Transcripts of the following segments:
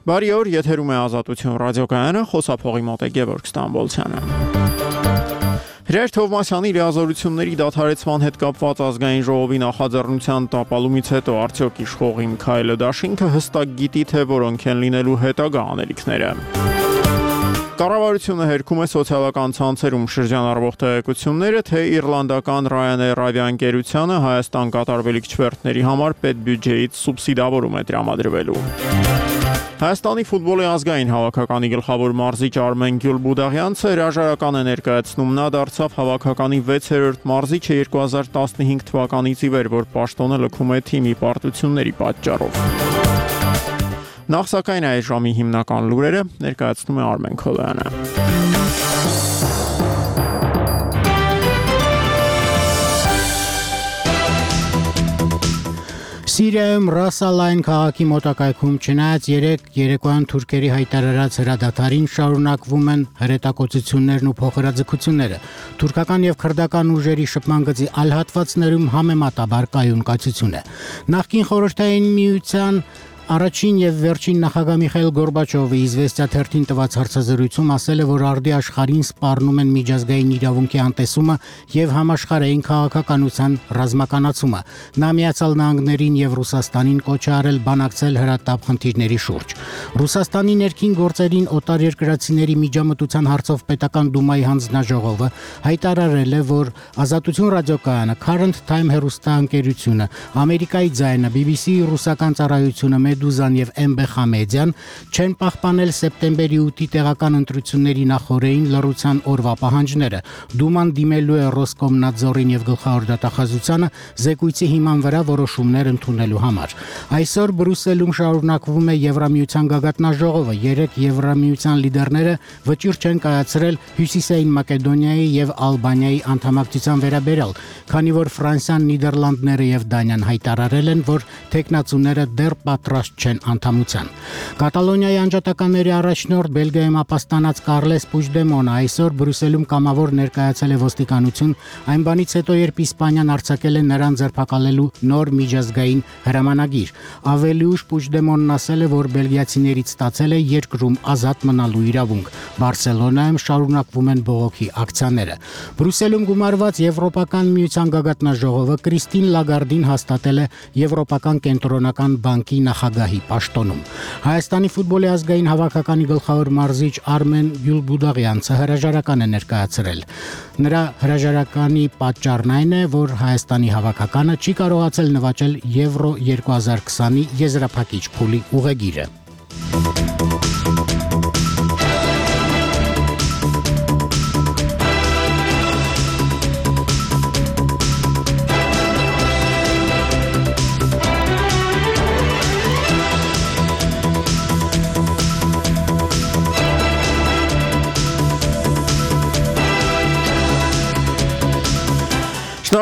Բարի օր, եթերում է Ազատություն ռադիոկայանը, խոսափողի մոտ է Գևորգ Ստամբոլցյանը։ Հրեշ Թովմասյանի լիազորությունների դադարեցման հետ կապված ազգային ժողովի նախաձեռնության տապալումից հետո արդյոք իշխող Միքայել Դաշինքը հստակ գիտի, թե որոնք են լինելու հետագա անելիքները։ Կառավարությունը հերքում է սոցիալական ցանցերում շրջանառվող տեղեկությունները, թե իռլանդական Ryanair ավիաընկերությանը Հայաստան կատարվելիք չվերթների համար պետբյուջեից սուբսիդավորում է տրամադրվելու։ Հայաստանի ֆուտբոլի ազգային հավաքականի գլխավոր մարզիչ Արմեն Գյուլբուդաղյանցը հրաժարական է ներկայացնում, նա դարձավ հավաքականի 6-րդ մարզիչը 2015 թվականից ի վեր, որ պաշտոնը լքում է թիմի պարտությունների պատճառով։ Նախ սակայն այս ժամի հիմնական լուրերը ներկայացնում է Արմեն Քոլոյանը։ Սիրիայում Ռաս Ալ-Այն քաղաքի մոտակայքում չնայած երեկոյան թուրքերի հայտարարած հրադադարին շարունակվում են հրետակոծություններն ու փոխհրաձգությունները։ Թուրքական եւ քրդական ուժերի շփման գծի այլ հատվածներում համեմատաբար կայուն կացություն է։ Նախկին խորհրդային միության Առաջին եւ վերջին նախագահ Միխայիլ Գորբաչովը Իզվեստիա թերթին տված հարցազրույցում ասել է, որ արդի աշխարհին սպառնում են միջազգային իրավունքի անտեսումը եւ համաշխարհային քաղաքականության ռազմականացումը։ Նա Միացյալ Նահանգներին եւ Ռուսաստանին կոչ է արել բանակցել հրատապ խնդիրների շուրջ։ Ռուսաստանի ներքին գործերին օտարերկրացիների միջամտության հարցով պետական դումայի հանձնաժողովը հայտարարել է, որ Ազատություն ռադիոկայանը, Current Time հեռուստաընկերությունը, Ամերիկայի ձայնը, BBC ռուսական ծառայությունը, Մեդուզան եւ MBХ մեդիան չեն պահպանել սեպտեմբերի 8-ի տեղական ընտրությունների նախօրեին լռության օրվա պահանջները։ Դուման դիմելու է Ռոսկոմնadzorին եւ գլխավոր դատախազությանը զեկույցի հիման վրա որոշումներ ընդունելու համար։ Այսօր Բրյուսելում շարունակվում է Եվրամիության գագաթնաժողովը։ 3 Եվրամիության լիդերները վճիռ չեն կայացրել Հյուսիսային Մակեդոնիայի եւ Ալբանիայի անդամակցության վերաբերյալ, քանի որ Ֆրանսիան, Նիդերլանդները եւ Դանիան հայտարարել են, որ տեխնացուները դեռ պատրաստ չեն անդամության։ Կատալոնիայի անջատականների առաջնորդ Բելգիայում ապաստանած Կարլես Պուջդեմոնը այսօր Բրյուսելում կամավոր ներկայացել է ոստիկանություն, այն բանից հետո, երբ Իսպանիան արձակել է նրան ձերբակալելու նոր միջազգային հրամանագիր։ Ավելի ուշ Պուջդեմոնն ասել է, որ բելգիացիներից ստացել է երկրում ազատ մնալու իրավունք։ Բարսելոնայում շարունակվում են բողոքի ակցիաները։ Բրյուսելում գումարված Եվրոպական միության գագաթնաժողովը Կրիստին Լագարդին հաստատել է Եվրոպական կենտրոնական բանկի նախագահի պաշտոնում։ Հայաստանի ֆուտբոլի ազգային հավաքականի գլխավոր մարզիչ Արմեն Գյուլբուդաղյանցը հրաժարական է ներկայացրել։ Նրա հրաժարականի պատճառն այն է, որ Հայաստանի հավաքականը չի կարողացել նվաճել Եվրո 2020-ի եզրափակիչ փուլի ուղեգիրը։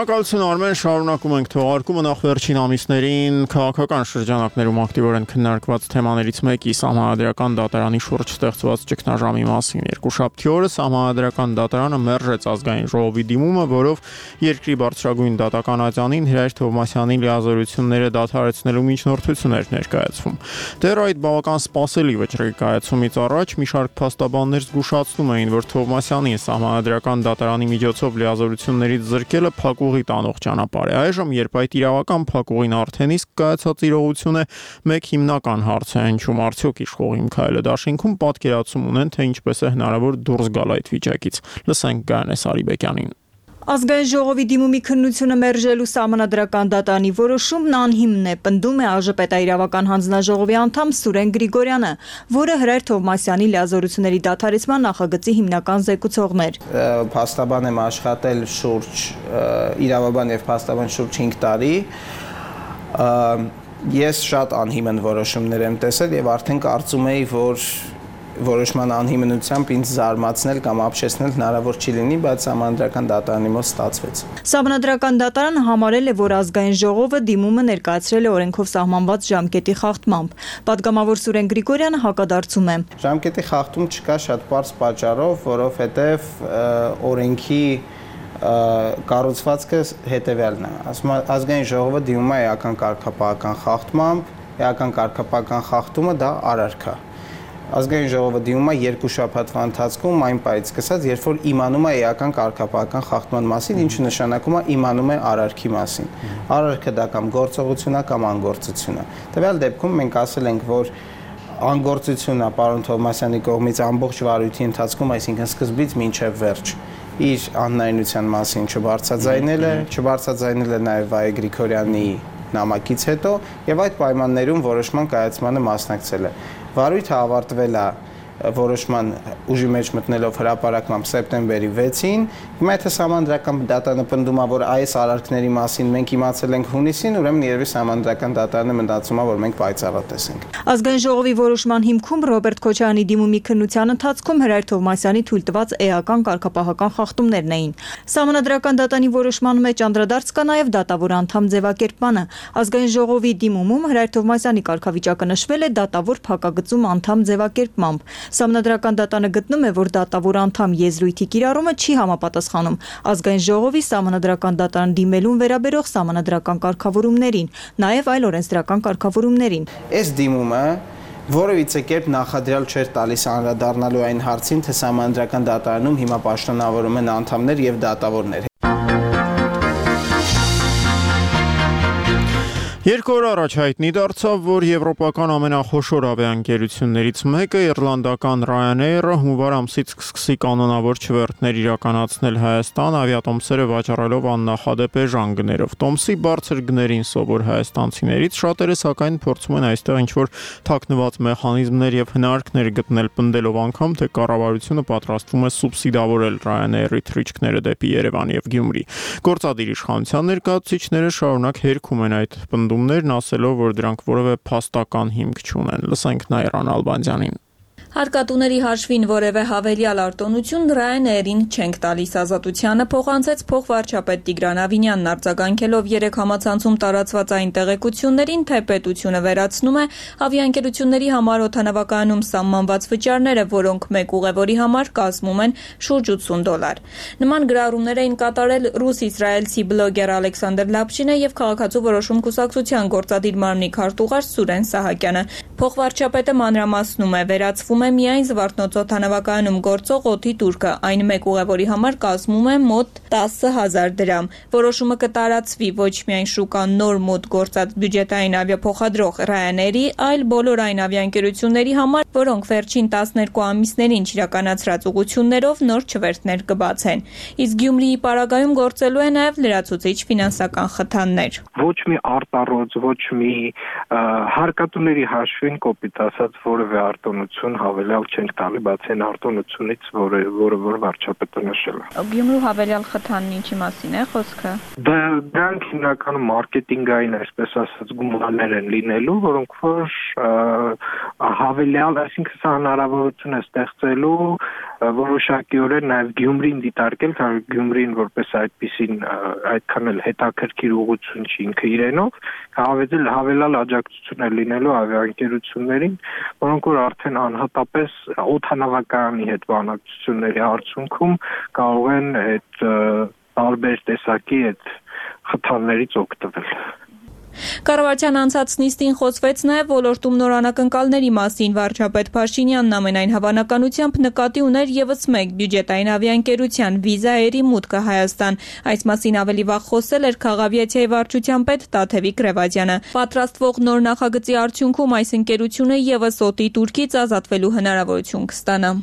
Շնորհակալություն Արմեն, շարունակում ենք թողարկումը նախ վերջին ամիսներին քաղաքական շրջանակներում ակտիվորեն քննարկված թեմաներից մեկի Սահմանադրական դատարանի շուրջ ստեղծված ճգնաժամի մասին։ Երկուշաբթի օրը Սահմանադրական դատարանը մերժեց ազգային ժողովի դիմումը, որով երկրի բարձրագույն դատական ատյանին Հրեշ Թովմասյանի լիազորությունները դադարեցնելու միջնորդություն էր ներկայացվում։ Դեռ այդ բավական սպասելի վճռի կայացումից առաջ մի շարք փաստաբաններ զգուշացնում էին, որ Թովմասյանին Սահմանադրական դատարանի միջոցով լիազորություններից զրկելը փակուղի տանող ճանապարհ է։ Այժմ, երբ այդ իրավական փակուղին արդեն իսկ կայացած իրողություն է, մեկ հիմնական հարց է հնչում, արդյոք իշխող Միքայել Դաշինքում պատկերացում ունեն, թե ինչպես է հնարավոր դուրս գալ այդ վիճակից։ Լսենք Գայանե Սարիբեկյանին։ Ազգային ժողովի դիմումի քննությունը մերժելու Սահմանադրական դատարանի որոշումն անհիմն է, պնդում է ԱԺ պետաիրավական հանձնաժողովի անդամ Սուրեն Գրիգորյանը, որը Հրեշ Թովմասյանի լիազորությունների դադարեցման նախագծի հիմնական զեկուցողն էր։ Փաստաբան եմ աշխատել շուրջ իրավաբան եւ փաստաբան շուրջ 5 տարի։ Ես շատ անհիմն որոշումներ եմ տեսել եւ արդեն կարծում էի, որ որոշման անհիմնությամբ ինձ զարմացնել կամ ապշեցնել հնարավոր չի լինի, բայց Սահմանադրական դատարանի մոտ ստացվեց։ Սահմանադրական դատարանը համարել է, որ ազգային ժողովը դիմումը ներկայացրել է օրենքով սահմանված ժամկետի խախտմամբ։ Պատգամավոր Սուրեն Գրիգորյանը հակադարձում է։ Ժամկետի խախտում չկա շատ պարզ պատճառով, որովհետև օրենքի կառուցվածքը հետևյալն է։ Ասում ազգային ժողովը դիմում է էական կարգապահական խախտմամբ, էական կարգապահական խախտումը դա արարք է։ Ազգային ժողովը դիմում է 2 շաբաթվա ընթացքում այն պահից սկսած, երբ որ իմանում է էական կարգապահական խախտման մասին, ինչը նշանակում է իմանում է արարքի մասին։ Արարքը դա կամ գործողություն է կամ անգործություն է։ Տվյալ դեպքում մենք ասել ենք, որ անգործությունն է պարոն Թովմասյանի կողմից ամբողջ վարույթի ընթացքում, այսինքն սկզբից մինչև վերջ, իր անհնարինության մասին չբարձրաձայնել է նաև Վայե Գրիգորյանի նամակից հետո եւ այդ պայմաններում որոշման կայացմանը մասնակցել է։ Վարույթը ավարտվել է որոշման ուժի մեջ մտնելով հրապարակմամբ սեպտեմբերի 6-ին, հիմա եթե Սահմանադրական դատարանը պնդում է, որ այս արարքների մասին մենք իմացել ենք հունիսին, ուրեմն երևի Սահմանադրական դատարանը մտածում է, որ մենք պայծառատես ենք։ Ազգային ժողովի որոշման հիմքում Ռոբերտ Քոչարյանի դիմումի քննության ընթացքում Հրայր Թովմասյանի թույլտված էական կարգապահական խախտումներն էին։ Սահմանադրական դատարանի որոշման մեջ անդրադարձ կա նաև դատավոր անդամ ձևակերպմանը։ Ազգային ժողովի դիմումում Հրայր Թովմասյանի կարգավիճակը նշվել է դատավոր փակագծում անդամ ձևակերպմամբ։ Սահմանադրական դատարանը գտնում է, որ դատավոր անդամ եզրույթի կիրառումը չի համապատասխանում Ազգային ժողովի Սահմանադրական դատարան դիմելուն վերաբերող սահմանադրական կարգավորումներին, նաև այլ օրենսդրական կարգավորումներին։ Այս դիմումը որևիցե կերպ նախադրյալ չէր տալիս անդրադառնալու այն հարցին, թե Սահմանադրական դատարանում հիմա պաշտոնավորում են անդամներ եւ դատավորներ։ 2 օր առաջ հայտնի դարձավ, որ եվրոպական ամենախոշոր ավիաընկերություններից մեկը իռլանդական Ryanair-ը հունվար ամսից կսկսի կանոնավոր չվերթներ իրականացնել Հայաստան ավիատոմսերը վաճառելով աննախադեպ էժան գներով։ Տոմսի բարձր գներին սովոր հայաստանցիներից շատերը սակայն փորձում են այստեղ ինչ-որ թաքնված մեխանիզմներ եւ հնարքներ գտնել, պնդելով անգամ, թե կառավարությունը պատրաստվում է սուբսիդավորել Ryanair-ի թռիչքները դեպի Երևան եւ Գյումրի։ Գործադիր իշխանության ներկայացուցիչները շարունակ հերքում են այդ պնդումներն, ասելով, որ դրանք որևէ փաստական հիմք չունեն։ Լսենք Նաիրան Ալբանդյանին։ Հարկատուների հաշվին որևէ հավելյալ արտոնություն Ryanair-ին չենք տալիս ազատությանը, փոխանցեց փոխվարչապետ Տիգրան Ավինյանն արձագանքելով 3 համացանցում տարածված այն տեղեկություններին, թե պետությունը վերացնում է ավիաընկերությունների համար օդանավակայանում սահմանված վճարները, որոնք մեկ ուղևորի համար կազմում են շուրջ $80։ Նման գրառումներ էին կատարել ռուս-իսրայելցի բլոգեր Ալեքսանդր Լապշինը եւ քաղաքացու որոշում կուսակցության գործադիր մարմնի քարտուղար Սուրեն Սահակյանը։ Փոխվարչապետը մանրամասնում է, վերացվում է միայն Զվարթնոց օդանավակայանում գործող օդի տուրքը, այն մեկ ուղևորի համար կազմում է մոտ 10,000 դրամ։ Որոշումը կտարածվի ոչ միայն շուկան նոր մոտ գործած բյուջետային ավիափոխադրող Ryanair-ի, այլ բոլոր այն ավիաընկերությունների համար, որոնք վերջին 12 ամիսներին իրականացրած ուղղություններով նոր չվերթներ կբացեն։ Իսկ Գյումրիի պարագայում գործելու է նաև լրացուցիչ ֆինանսական խթաններ։ Ոչ մի արտառոց, ոչ մի հարկատուների հաշվին կոպիտ ասած որևէ արտոնություն հավելյալ չենք տալի, բացի այն արտոնությունից, որը վարչապետը նշել է։ Գյումրու հավելյալ խթանն ինչի մասին է խոսքը։ Դրանք հիմնականում մարքեթինգային, այսպես ասած, գումարներ են լինելու, որոնք որ հավելյալ, այսինքն սա հնարավորություն է ստեղծելու որոշակիորեն նաև Գյումրին դիտարկել, քանի Գյումրին որպես այդպիսին այդքան էլ հետաքրքիր ուղղություն չի ինքը իրենով, հավելյալ աջակցություն է լինելու ավիաընկերություններին, որոնք որ արդեն անհատապես օդանավակայանի հետ բանակցությունների արդյունքում կարող են այդ տարբեր տեսակի այդ խթաններից օգտվել։ Կառավարության անցած նիստին խոսվեց նաև ոլորտում նոր անակնկալների մասին։ Վարչապետ Փաշինյանն ամենայն հավանականությամբ նկատի ուներ ևս մեկ բյուջետային ավիաընկերության Վիզա Էրի մուտքը Հայաստան։ Այս մասին ավելի վաղ խոսել էր Քաղավիացիայի վարչության պետ Տաթևիկ Ռևազյանը։ Պատրաստվող նոր նախագծի արդյունքում այս ընկերությունը ևս օդի տուրքից ազատվելու հնարավորություն կստանա։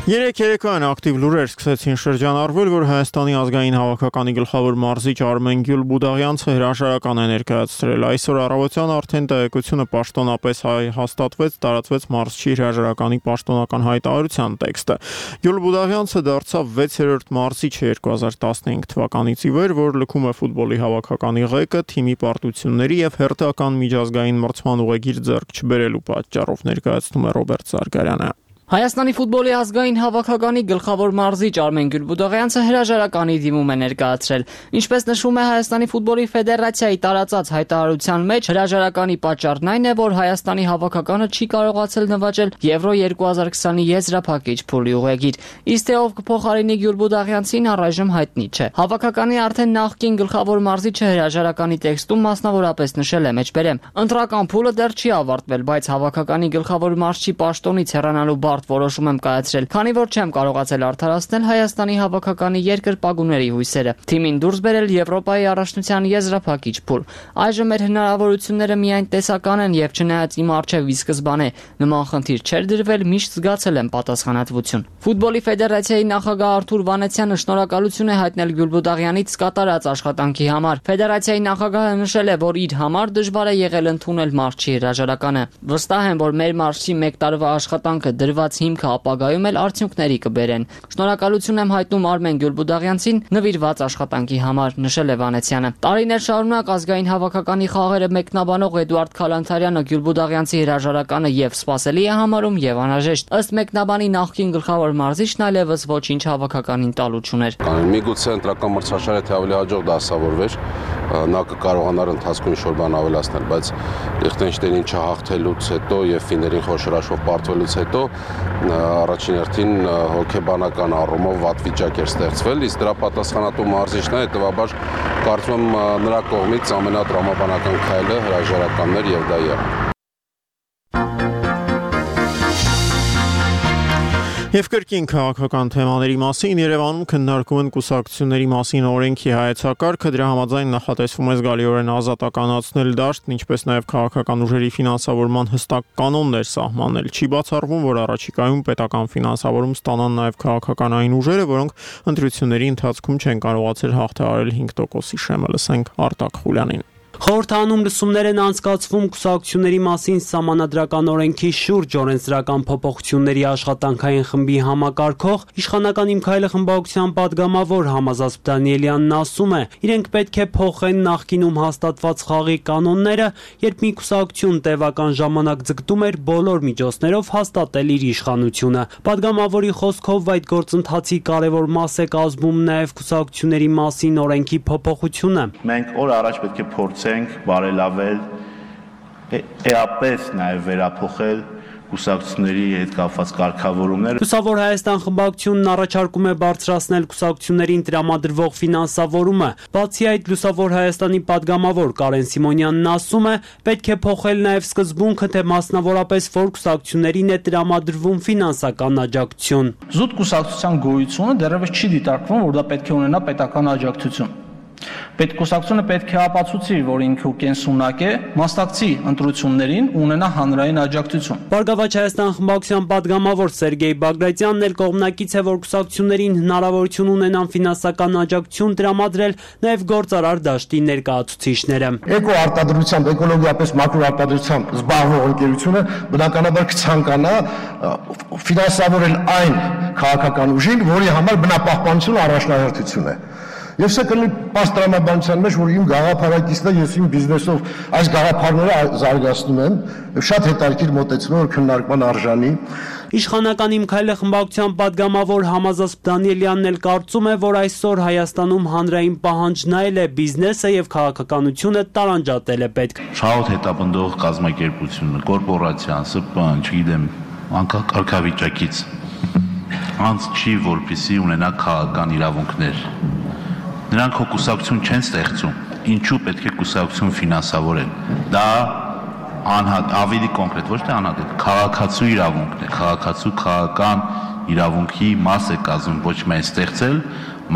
Երեք երեկոյան ակտիվ լուրեր սկսեցին շրջանառվել, որ Հայաստանի ազգային հավաքականի գլխավոր մարզիչ Արմեն Գյուլբուդաղյանցը հրաժարական է ներկայացրել։ Այսօր առավոտյան արդեն տեղեկությունը պաշտոնապես հաստատվեց, տարածվեց մարզչի հրաժարականի պաշտոնական հայտարարության տեքստը։ Գյուլբուդաղյանցը դարձավ 6-րդ մարզիչը 2015 թվականից ի վեր, որ լքում է ֆուտբոլի հավաքականի ղեկը, թիմի պարտությունների եւ հերթական միջազգային մրցման ուղեգիր ձեռք չբերելու պատճառով, ներկայացնում է Ռոբերտ Զարգարյանը։ Հայաստանի ֆուտբոլի ազգային հավաքականի գլխավոր մարզիչ Արմեն Գյուլբուդաղյանցը հրաժարականի դիմում է ներկայացրել։ Ինչպես նշվում է Հայաստանի ֆուտբոլի ֆեդերացիայի տարածած հայտարարության մեջ, հրաժարականի պատճառն այն է, որ Հայաստանի հավաքականը չի կարողացել նվաճել Եվրո 2020-ի եզրափակիչ փուլի ուղեգիր։ Իսկ թե ով կփոխարինի Գյուլբուդաղյանցին, առայժմ հայտնի չէ։ Հավաքականի արդեն նախկին գլխավոր մարզիչը հրաժարականի տեքստում մասնավորապես նշել է մեջբերեմ. ընտրական փուլը դեռ չի ավարտվել, բայց հավաքականի գլխավոր մարզչի պաշտոնից հեռանալու որոշում եմ կայացրել, քանի որ չեմ կարողացել արդարացնել Հայաստանի հավաքականի երկրպագուների հույսերը։ Թիմին դուրս բերել Եվրոպայի առաջնության եզրափակիչ փուլ։ Այժմ մեր հնարավորությունները միայն տեսական են եւ չնայած իմ առջեւ ի սկզբանե նման խնդիր չէր դրվել, միշտ զգացել եմ պատասխանատվություն։ Ֆուտբոլի ֆեդերացիայի նախագահ Արթուր Վանեցյանը շնորհակալություն է հայտնել Գյուլբուդաղյանից կատարած աշխատանքի համար։ Ֆեդերացիայի նախագահը նշել է, որ իր համար դժվար է եղել ընդունել մարզչի հրաժարականը։ Վստահ եմ, որ մեր մարզչի 1 տարվա աշխատանքը դրված հիմքը ապագայում էլ արդյունքների կբերեն։ Շնորհակալություն եմ հայտնում Արմեն Գյուլբուդաղյանցին նվիրված աշխատանքի համար, նշել է Վանեցյանը։ Տարիներ շարունակ ազգային հավաքականի խաղերը մեկնաբանող Էդուարդ Քալանթարյանը Գյուլբուդաղյանցի հրաժարականը եւ սպասելի է համարում եւ անհրաժեշտ։ Ըստ մեկնաբանի նախկին գլխավոր մարզիչն այլևս ոչինչ հավաքականին տալու չուներ։ Միգուցե ընտրական մրցաշարը թե ավելի հաջող դասավորվեր, նա կկարողանար ընթացքում ինչ-որ բան ավելացնել, բայց Լիխտենշտեյնին չհաղթելուց հետո եւ ֆիներին խոշորաշով պարտվելուց հետո առաջին հերթին հոգեբանական առումով վատ վիճակ էր ստեղծվել, իսկ դրա պատասխանատու մարզիչն է, հետևաբար կարծում եմ նրա կողմից ամենատրամաբանական քայլը հրաժարականն էր եւ դա եղավ։ Եվ կրկին քաղաքական թեմաների մասին Երևանում քննարկում են կուսակցությունների մասին օրենքի հայեցակարգը, դրա համաձայն նախատեսվում է զգալիորեն ազատականացնել դաշտն, ինչպես նաև քաղաքական ուժերի ֆինանսավորման հստակ կանոններ սահմանել։ Չի բացառվում, որ առաջիկայում պետական ֆինանսավորում ստանան նաև քաղաքականային ուժերը, որոնք ընտրությունների ընթացքում չեն կարողացել հաղթահարել 5%-ի շեմը, լսենք Արտակ Խուլյանին։ Խորհրդանում լսումներ են անցկացվում կուսակցությունների մասին սահմանադրական օրենքի շուրջ օրենսդրական փոփոխությունների աշխատանքային խմբի համակարգող իշխանական Իմ քայլը խմբակցության падգամավոր Համազած Դանիելյանն ասում է, իրենք պետք է փոխեն նախկինում հաստատված խաղի կանոնները, երբ մի կուսակցություն տևական ժամանակ ձգտում էր բոլոր միջոցներով հաստատել իր իշխանությունը։ Падգամավորի խոսքով այդ գործընթացի կարևոր մաս է կազմում նաև կուսակցությունների մասին օրենքի փոփոխությունը։ Մենք օր առաջ պետք է փորձենք բարելավել, էապես նաև վերափոխել կուսակցությունների հետ կապված կարգավորումները։ Լուսավոր Հայաստան խմբակցությունն առաջարկում է բարձրացնել կուսակցություններին տրամադրվող ֆինանսավորումը։ Բացի այդ, Լուսավոր Հայաստանի падգամավոր Կարեն Սիմոնյանն ասում է, պետք է փոխել նաև սկզբունքը, թե մասնավորապես որ կուսակցություններին է տրամադրվում ֆինանսական աջակցություն։ Զուտ կուսակցության գոյությունը դեռևս չի դիտարկվում, որ դա պետք է ունենա պետական աջակցություն։ Պետկուսակցությունը պետք է ապացուցի, որ ինքը կենսունակ է, մասնակցի ընտրություններին ու ունենա հանրային աջակցություն։ Բարգավաճ Հայաստան խմբակցության падգամավոր Սերգեյ Բագրատյանն էլ կողմնակից է, որ կուսակցություններին հնարավորություն ունենան ֆինանսական աջակցություն տրամադրել նաև գործարար դաշտի ներկայացուցիչները։ Էկոարտադրությամբ, էկոլոգիապես մակրոարտադրությամբ զբաղվող ընկերությունը բնականաբար կցանկանա ֆինանսավորել այն քաղաքական ուժին, որի համար բնապահպանությունը առաջնահերթություն է։ Եվ սա կլինի պաստրանաբանության մեջ, որ իմ գաղափարակիցն է, ես իմ բիզնեսով այս գաղափարները զարգացնում եմ, շատ հետաքրքիր մոտեցում որ քննարկման արժանի։ Իշխանական Իմ քայլը խմբակցության падգամավոր Համազած Դանիելյանն էլ կարծում է, որ այսօր Հայաստանում հանրային պահանջն այլ է, բիզնեսը եւ քաղաքականությունը տարանջատել է պետք։ Շահոտ հետապնդող կազմակերպությունը, կորպորացիան, ՍՊԸ-ն, չգիտեմ, անկախ կարգավիճակից անց չի, որպեսզի ունենա քաղաքական իրավունքներ։ Նրանք հո կուսակցություն չեն ստեղծում, ինչու պետք է կուսակցություն ֆինանսավորեն։ Դա ավելի կոնկրետ, ոչ թե անհատական, քաղաքացու իրավունքն է, քաղաքացու քաղաքական իրավունքի մաս է կազմում ոչ միայն ստեղծել,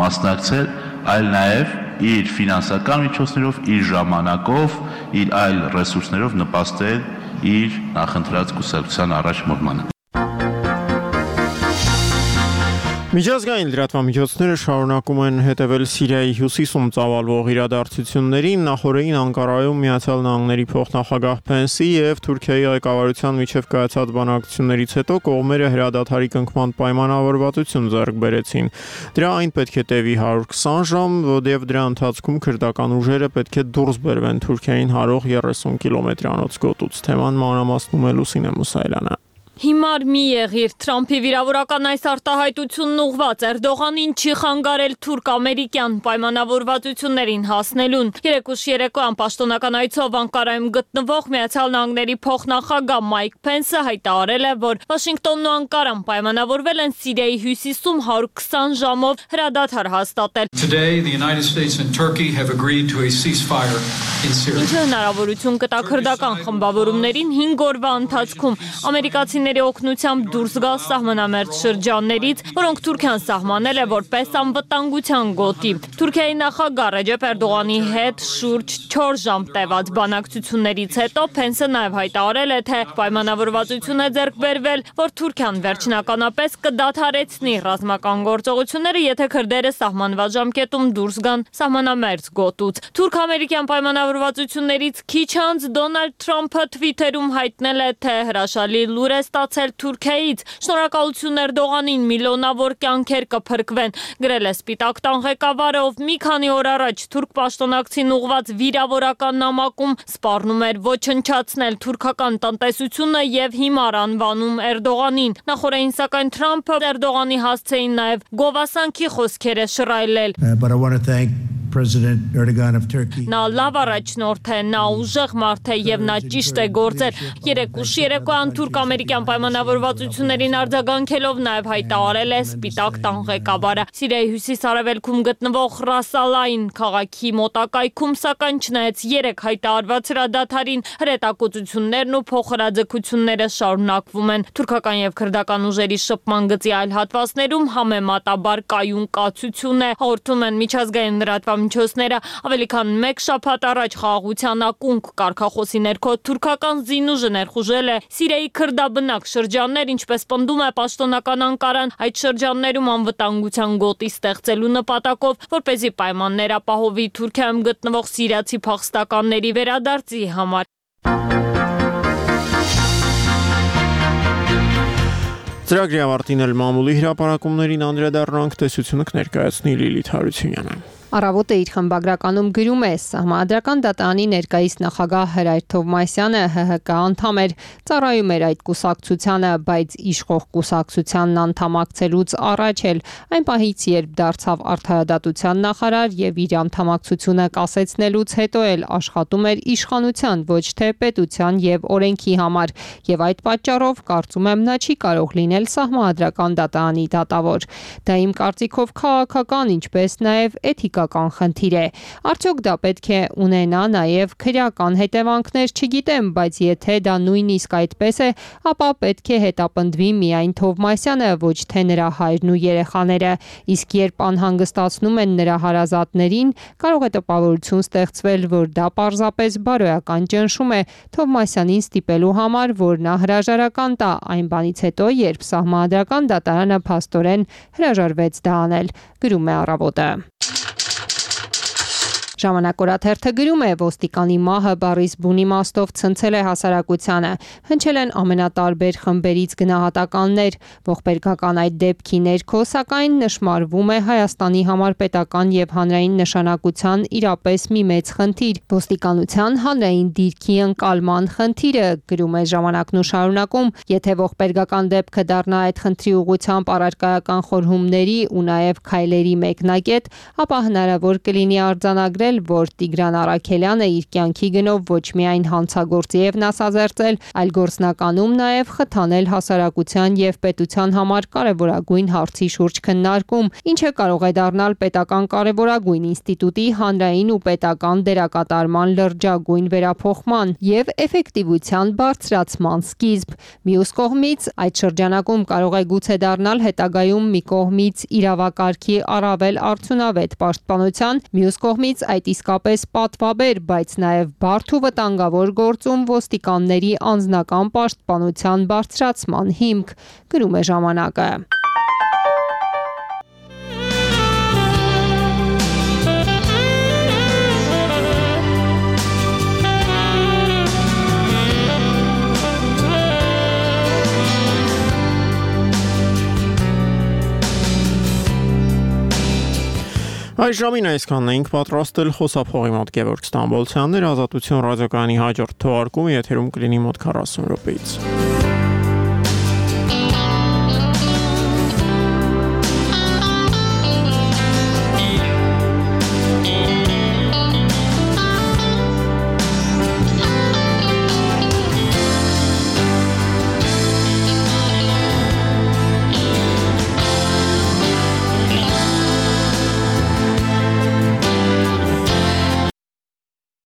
մասնակցել, այլ նաև իր ֆինանսական միջոցներով, իր ժամանակով, իր այլ ռեսուրսներով նպաստել իր նախընտրած կուսակցության առաջ մոտմանը։ Միջազգային լրատվամիջոցները շարունակում են հետևել Սիրիայի հյուսիսում ծավալվող իրադարձություններին, նախորդին Անկարայում Միացյալ Նահանգների փոխնախագահ Փենսի եւ Թուրքիայի ղեկավարության միջև կայացած բանակցություններից հետո կողմերը հրադադարի կնքման պայմանավորվածություն ձեռք բերեցին։ Դրա այն պետք է տևի 120 ժամ, եւ դրա ընթացքում քրդական ուժերը պետք է դուրս բերվեն Թուրքիային հարող 30 կիլոմետրանոց գոտուց։ Թեման մանրամասնում է Լուսինե Մուսայելյանը։ Հիմար մի եղիր, Թրամփի վիրավորական այս արտահայտությունն ուղղված Էրդողանին չի խանգարել թուրք-ամերիկյան պայմանավորվածություններին հասնելուն։ Երեկուշ երեկոյան պաշտոնական այցով Անկարայում գտնվող Միացյալ Նահանգների փոխնախագահ Մայք Փենսը հայտարարել է, որ Վաշինգտոնն ու Անկարան պայմանավորվել են Սիրիայի հյուսիսում 120 ժամով հրադադար հաստատել։ Ինչը հնարավորություն կտա քրդական խմբավորումներին 5 օրվա ընթացքում ամերիկացիների օգնությամբ դուրս գալ սահմանամերձ շրջաններից, որոնք Թուրքիան սահմանել է որպես անվտանգության գոտի։ Թուրքիայի նախագահ Ռեջեփ Էրդողանի հետ շուրջ 4 ժամ տևած բանակցություններից հետո Փենսը նաև հայտարարել է, թե պայմանավորվածություն է ձեռք բերվել, որ Թուրքիան վերջնականապես կդադարեցնի ռազմական գործողությունները, եթե քրդերը սահմանված ժամկետում դուրս գան սահմանամերձ գոտուց։ Թուրք-ամերիկյան պայմանավորվածություններից քիչ անց Դոնալդ Թրամփը Թվիթերում հայտնել է, թե հրաշալի լուր է ստացել Թուրքիայից։ Շնորհակալություն Էրդողանին, միլիոնավոր կյանքեր կփրկվեն, գրել է Սպիտակ տան ղեկավարը, ով մի քանի օր առաջ թուրք պաշտոնակցին ուղված վիրավորական նամակում սպառնում էր ոչնչացնել թուրքական տնտեսությունը եւ հիմար անվանում Էրդողանին։ Նախորդին սակայն Թրամփը Էրդողանի հասցեին նաեւ գովասանքի խոսքեր է շռայլել։ Նա լավ առաջնորդ է, նա ուժեղ մարդ է եւ նա ճիշտ է գործել։ Երեկուշ երեկոյան թուրք-ամերիկյան պայմանավորվածություններին արձագանքելով նաեւ հայտարարել է Սպիտակ տան ղեկավարը։ Սիրիայի հյուսիս-արևելքում գտնվող Ռասալային քաղաքի մոտակայքում սակայն չնայած 3 հայտարարված հրադադարին, հրետակոծություններն ու փոխհրաձգությունները շարունակվում են։ Թուրքական եւ քրդական ուժերի շփման գծի այլ հատվածներում համեմատաբար կայուն կացություն է, հաղորդում են միջազգային լրատվամիջոցները։ Ավելի քան 1 շաբաթ առաջ խաղաղության ակունք կարգախոսի ներքո թուրքական զինուժը ներխուժել է Սիրիայի քրդաբնակ շրջաններ, ինչպես պնդում է պաշտոնական Անկարան, այդ շրջաններում անվտանգության գոտի ստեղծելու նպատակով, որպեսզի պայմաններ ապահովի Թուրքիայում գտնվող սիրիացի փախստականների վերադարձի համար։ Ծրագրի ավարտին էլ մամուլի հրապարակումներին անդրադառնանք, տեսությունը կներկայացնի Լիլիթ Հարությունյանը։ Առավոտը իր խմբագրականում գրում է. Սահմանադրական դատարանի ներկայիս նախագահ Հրայր Թովմասյանը ՀՀԿ անդամ էր, ծառայում էր այդ կուսակցությանը, բայց իշխող կուսակցությանն անդամակցելուց առաջ էլ այն պահից, երբ դարձավ արդարադատության նախարար եւ իր անդամակցությունը կասեցնելուց հետո էլ աշխատում էր իշխանության, ոչ թե պետության եւ օրենքի համար, եւ այդ պատճառով կարծում եմ նա չի կարող լինել սահմանադրական դատարանի դատավոր։ Դա իմ կարծիքով քաղաքական, ինչպես նաեւ էթիկական խնդիր է։ Արդյոք դա պետք է ունենա նաև քրեական հետևանքներ, չգիտեմ, բայց եթե դա նույնիսկ այդպես է, ապա պետք է հետապնդվի միայն Թովմասյանը, ոչ թե նրա հայրն ու երեխաները, իսկ երբ անհանգստացնում են նրա հարազատներին, կարող է տպավորություն ստեղծվել, որ դա պարզապես բարոյական ճնշում է Թովմասյանին ստիպելու համար, որ նա հրաժարական տա այն բանից հետո, երբ սահմանադրական դատարանը փաստորեն հրաժարվեց դա անել, գրում է Առավոտը։ Ժամանակ օրաթերթը գրում է. ոստիկանի մահը բառիս բուն իմաստով ցնցել է հասարակությանը, հնչել են ամենատարբեր խմբերից գնահատականներ, ողբերգական այդ դեպքի ներքո սակայն նշմարվում է Հայաստանի համար պետական եւ հանրային նշանակության իրապես մի մեծ խնդիր, ոստիկանության հանրային դիրքի ընկալման խնդիրը, գրում է Ժամանակն ու շարունակում, եթե ողբերգական դեպքը դառնա այդ խնդրի ուղղությամբ առարկայական խորհումների ու նաեւ քայլերի մեկնակետ, ապա հնարավոր կլինի արձանագրել, որ Տիգրան Առաքելյանը իր կյանքի գնով ոչ միայն հանցագործի եւ նասազերծել, այլ գործնականում նաեւ խթանել հասարակության եւ պետության համար կարեւորագույն հարցի շուրջ քննարկում, ինչը կարող է դառնալ պետական կարեւորագույն ինստիտուտի հանրային ու պետական դերակատարման լրջագույն վերափոխման եւ էֆեկտիվության բարձրացման սկիզբ։ Մյուս կողմից, այդ շրջանակում կարող է գուցե դառնալ հետագայում մի կողմից իրավակարգի առավել արդյունավետ պաշտպանության, մյուս կողմից այդ իսկապես պատվաբեր, բայց նաև բարդ ու վտանգավոր գործում ոստիկանների անձնական պաշտպանության բարձրացման հիմք, գրում է Ժամանակը։ Այս ժամին այսքանն էինք պատրաստել, խոսափողի մոտ Գևորգ Ստամբոլցյանն էր, Ազատություն ռադիոկայանի հաջորդ թողարկումը եթերում կլինի մոտ 40 րոպեից։